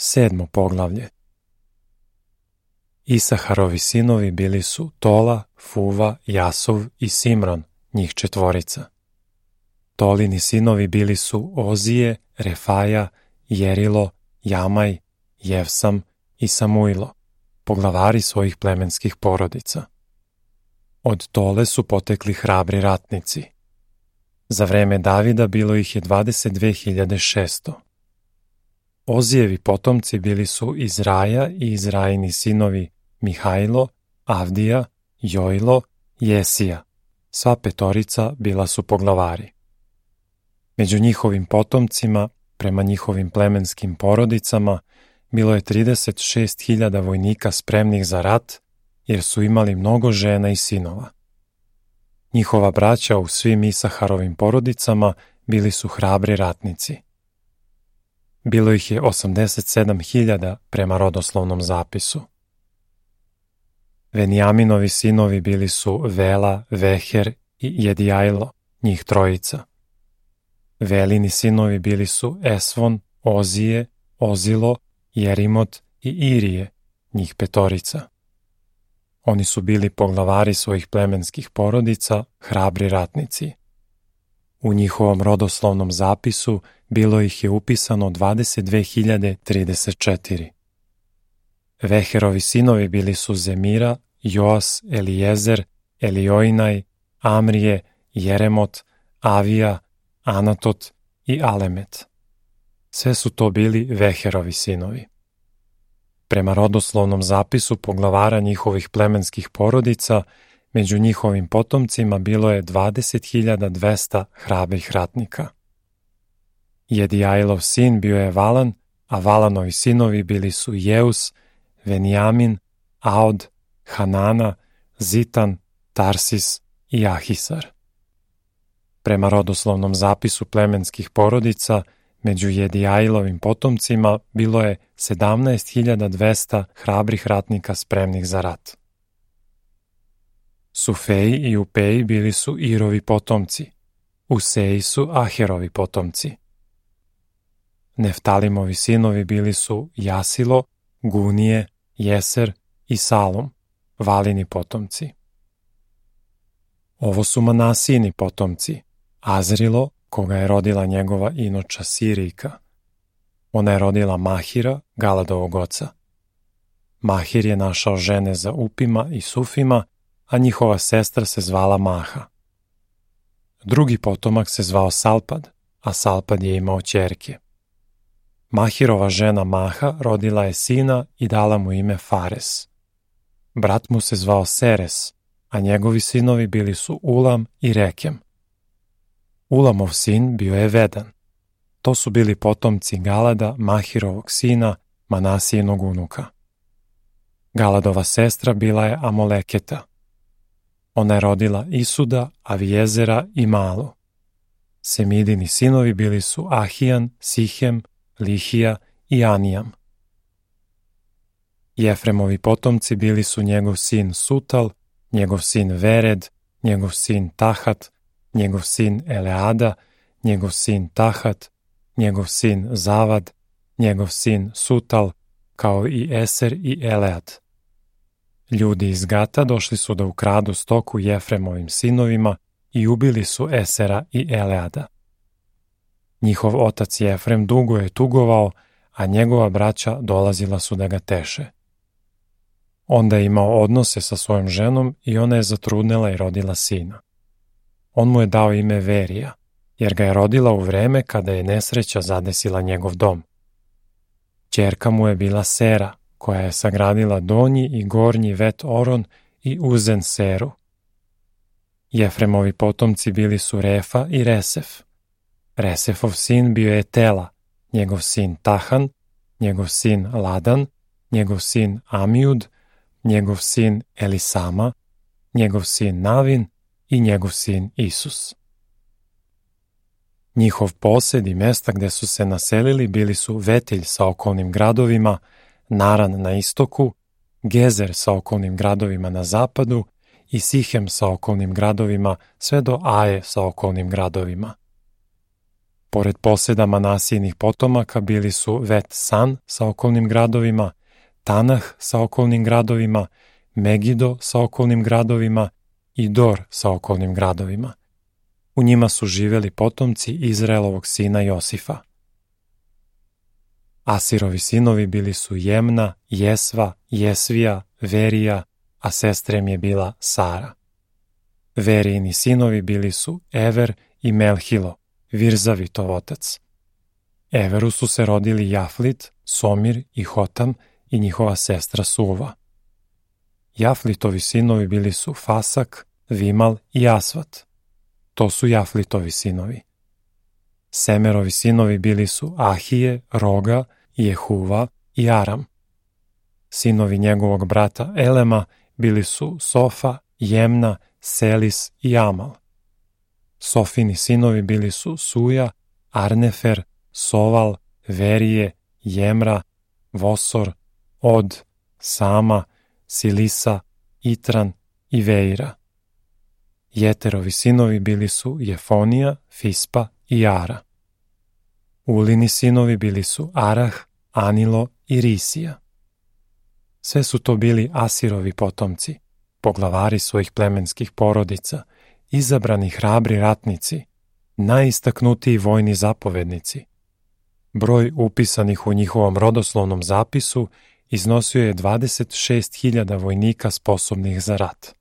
7. poglavlje. Isaharovi sinovi bili su Tola, Fuva, Jasov i Simron, njih 4. Tolini sinovi bili su Ozije, Refaja, Jerilo, Jamaj, Jevsam i Samuilo, poglavari svojih plemenskih porodica. Od Tole su potekli hrabri ratnici. Za vreme Davida bilo ih je 22.600. Ozijevi potomci bili su Izraja i Izrajini sinovi Mihajlo, Avdija, Jojlo, Jesija. Sva 5 bila su poglavari. Među njihovim potomcima, prema njihovim plemenskim porodicama, bilo je 36.000 vojnika spremnih za rat, jer su imali mnogo žena i sinova. Njihova braća u svim Isaharovim porodicama bili su hrabri ratnici. Bilo ih je 87.000 prema rodoslovnom zapisu. Venjaminovi sinovi bili su Vela, Veher i Jedijajlo, njih 3. Velini sinovi bili su Esvon, Ozije, Ozilo, Jerimot i Irije, njih 5. Oni su bili poglavari svojih plemenskih porodica, hrabri ratnici. U njihovom rodoslovnom zapisu bilo ih je upisano 22.034. Veherovi sinovi bili su Zemira, Joas, Elijezer, Eliojnaj, Amrije, Jeremot, Avija, Anatot i Alemet. Sve su to bili Veherovi sinovi. Prema rodoslovnom zapisu poglavara njihovih plemenskih porodica, među njihovim potomcima bilo je 20.200 hrabrih ratnika. Jedijajlov sin bio je Valan, a Valanovi sinovi bili su Jeus, Venjamin, Aod, Hanana, Zitan, Tarsis i Ahisar. Prema rodoslovnom zapisu plemenskih porodica, među Jedijajlovim potomcima bilo je 17.200 hrabrih ratnika spremnih za rat. Sufeji i Upeji bili su Irovi potomci, Useji su Aherovi potomci. Neftalimovi sinovi bili su Jasilo, Gunije, Jeser i Salom, Valini potomci. Ovo su Manasijini potomci, Azrilo, koga je rodila njegova inoča Sirijka. Ona je rodila Mahira, Galadovog oca. Mahir je našao žene za Upima i Sufima, a njihova sestra se zvala Maha. Drugi potomak se zvao Salpad, a Salpad je imao ćerke. Mahirova žena Maha rodila je sina i dala mu ime Fares. Brat mu se zvao Seres, a njegovi sinovi bili su Ulam i Rekem. Ulamov sin bio je Vedan. To su bili potomci Galada, Mahirovog sina, Manasijinog unuka. Galadova sestra bila je Amoleketa. Ona je rodila Isuda, Avijezera i Malu. Semidini sinovi bili su Ahijan, Sihem, Lihija i Anijam. Jefremovi potomci bili su njegov sin Sutal, njegov sin Vered, njegov sin Tahat, njegov sin Eleada, njegov sin Tahat, njegov sin Zavad, njegov sin Sutal, kao i Eser i Elead. Ljudi iz Gata došli su da ukradu stoku Jefremovim sinovima i ubili su Esera i Eleada. Njihov otac Jefrem dugo je tugovao, a njegova braća dolazila su da ga teše. Onda je imao odnose sa svojom ženom i ona je zatrudnela i rodila sina. On mu je dao ime Verija, jer ga je rodila u vreme kada je nesreća zadesila njegov dom. Ćerka mu je bila Sera, koja je sagradila donji i gornji vet Oron i Uzen Seru. Jefremovi potomci bili su Refa i Resef. Resefov sin bio je Tela, njegov sin Tahan, njegov sin Ladan, njegov sin Amijud, njegov sin Elisama, njegov sin Navin i njegov sin Isus. Njihov posed i mesta gde su se naselili bili su Vetilj sa okolnim gradovima, Naran na istoku, Gezer sa okolnim gradovima na zapadu i Sihem sa okolnim gradovima sve do Aje sa okolnim gradovima. Pored poseda Manasijinih potomaka bili su Vet San sa okolnim gradovima, Tanah sa okolnim gradovima, Megido sa okolnim gradovima i Dor sa okolnim gradovima. U njima su živeli potomci Izraelovog sina Josifa. Asirovi sinovi bili su Jemna, Jesva, Jesvija, Verija, a sestra im je bila Sara. Verijini sinovi bili su Ever i Melhilo, Virzavitov otac. Everu su se rodili Jaflit, Somir i Hotam i njihova sestra Suva. Jaflitovi sinovi bili su Fasak, Vimal i Asvat. To su Jaflitovi sinovi. Semerovi sinovi bili su Ahije, Roga, Jehuva i Aram. Sinovi njegovog brata Elema bili su Sofa, Jemna, Selis i Amal. Sofini sinovi bili su Suja, Arnefer, Soval, Verije, Jemra, Vosor, Od, Sama, Silisa, Itran i Veira. Jeterovi sinovi bili su Jefonija, Fispa i Ara. Ulini sinovi bili su Arah, Anilo i Risija. Sve su to bili Asirovi potomci, poglavari svojih plemenskih porodica, izabrani hrabri ratnici, najistaknutiji vojni zapovednici. Broj upisanih u njihovom rodoslovnom zapisu iznosio je 26.000 vojnika sposobnih za rat.